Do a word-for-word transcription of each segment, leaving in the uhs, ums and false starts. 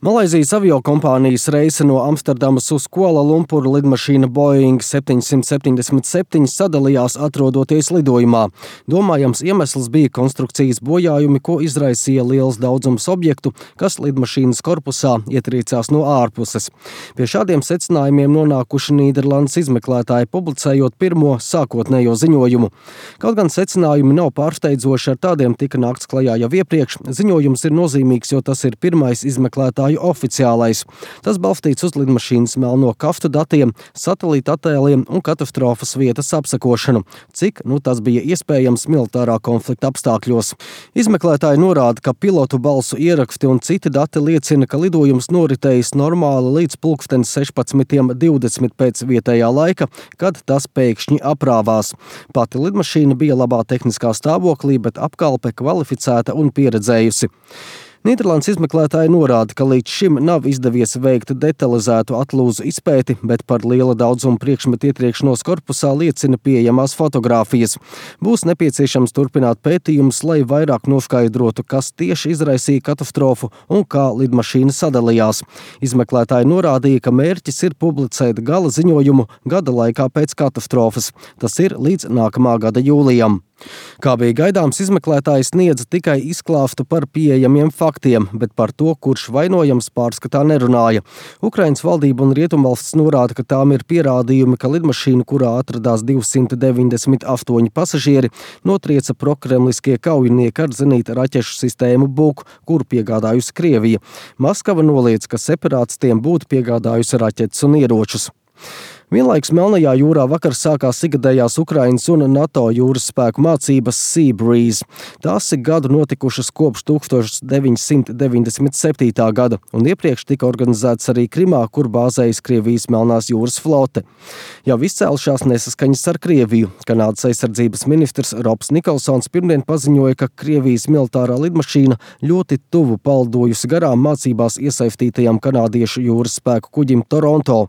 Malaizijas aviokompānijas reise no Amsterdamas uz Kuala Lumpuru lidmašīna Boeing septiņsimt septiņdesmit septiņi sadalījās atrodoties lidojumā. Domājams iemesls bija konstrukcijas bojājumi, ko izraisīja liels daudzums objektu, kas lidmašīnas korpusā ietriecās no ārpuses. Pie šādiem secinājumiem nonākuši Nīderlandes izmeklētāji, publicējot pirmo sākotnējo ziņojumu. Kaut gan secinājumi nav pārsteidzoši, ar tādiem tika nākts klajā jau iepriekš. Ziņojums ir nozīmīgs, jo tas ir pirmais izmeklētāju oficiālais. Tas balstīts uz lidmašīnas melno kaftu datiem, satelīta attēliem un katastrofas vietas apsekošanu, cik nu tas bija iespējams militārā konflikta apstākļos. Izmeklētāji norāda, ka pilotu balsu ieraksti un citi dati liecina, ka lidojums noritējis normāli līdz pulksten sešpadsmit divdesmit pēc vietējā laika, kad tas pēkšņi aprāvās. Pati lidmašīna bija labā tehniskā stāvoklī, bet apkalpe kvalificēta un pieredzējusi. Nīderlandes izmeklētāji norāda, ka līdz šim nav izdevies veikt detalizētu atlūzu izpēti, bet par liela daudzuma priekšmetu ietriekšanos korpusā liecina pieejamās fotogrāfijas. Būs nepieciešams turpināt pētījumus, lai vairāk noskaidrotu, kas tieši izraisīja katastrofu un kā lidmašīna sadalījās. Izmeklētāji norādīja, ka mērķis ir publicēt gala ziņojumu gada laikā pēc katastrofas. Tas ir līdz nākamā gada jūlijam. Kā bija gaidāms, izmeklētāji sniedza tikai izklāstu par pieejamiem faktiem, bet par to, kurš vainojams, pārskatā nerunāja. Ukrainas valdība un Rietumvalstis norāda, ka tām ir pierādījumi, ka lidmašīna, kurā atradās divsimt deviņdesmit astoņi pasažieri, notrieca prokremliskie kaujinieki ar zenīta raķešu sistēmu Buk, kuru piegādājusi Krievija. Maskava noliedz, ka separātistiem būtu piegādājusi raķetes un ieročus. Vienlaikus Melnajā jūrā vakar sākās ikgadējās Ukrainas un NATO jūras spēku mācības Sea Breeze. Tās ir gadu notikušas kopš tūkstoš deviņsimt deviņdesmit septītā gada, un iepriekš tika organizēts arī Krimā, kur bāzējas Krievijas Melnās jūras flote. Jau izcēlušās nesaskaņas ar Krieviju. Kanādas aizsardzības ministrs Robs Nikolsons pirmdien paziņoja, ka Krievijas militārā lidmašīna ļoti tuvu paldojusi garām mācībās iesaistītajam kanādiešu jūras spēku kuģim Toronto.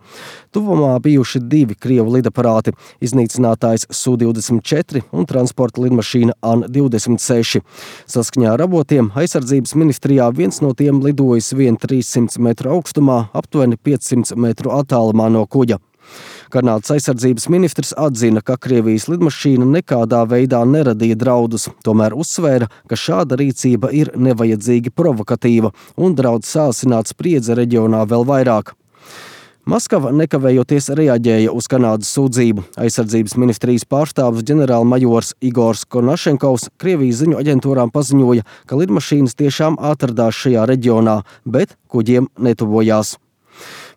Tuvumā bijuši divi Krievu lidaparāti – iznīcinātājs S U divdesmit četri un transporta lidmašīna An divdesmit seši. Saskaņā ar avotiem aizsardzības ministrijā viens no tiem lidojis vien trīssimt metru augstumā, aptuveni piecsimt metru attālumā no kuģa. Kanādas aizsardzības ministrs atzina, ka Krievijas lidmašīna nekādā veidā neradīja draudus, tomēr uzsvēra, ka šāda rīcība ir nevajadzīgi provokatīva un draud sāsināt spriedzi reģionā vēl vairāk. Maskava nekavējoties reaģēja uz Kanādas sūdzību. Aizsardzības ministrijas pārstāvis ģenerālmajors Igors Konašenkovs Krievijas ziņu aģentūrām paziņoja, ka lidmašīnas tiešām atradās šajā reģionā, bet kuģiem netuvojās.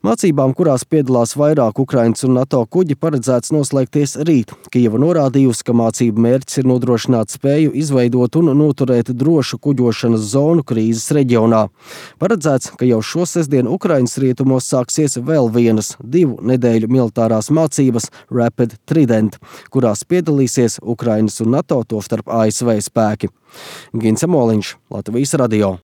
Mācībām, kurās piedalās vairāk Ukrainas un NATO kuģi, paredzēts noslēgties rīt. Kijeva norādījusi, ka mācību mērķis ir nodrošināt spēju izveidot un noturēt drošu kuģošanas zonu krīzes reģionā. Paredzēts, ka jau šo sestdienu Ukrainas rietumos sāksies vēl vienas divu nedēļu militārās mācības Rapid Trident, kurās piedalīsies Ukrainas un NATO, tostarp A S V spēki. Gins Amoliņš, Latvijas radio.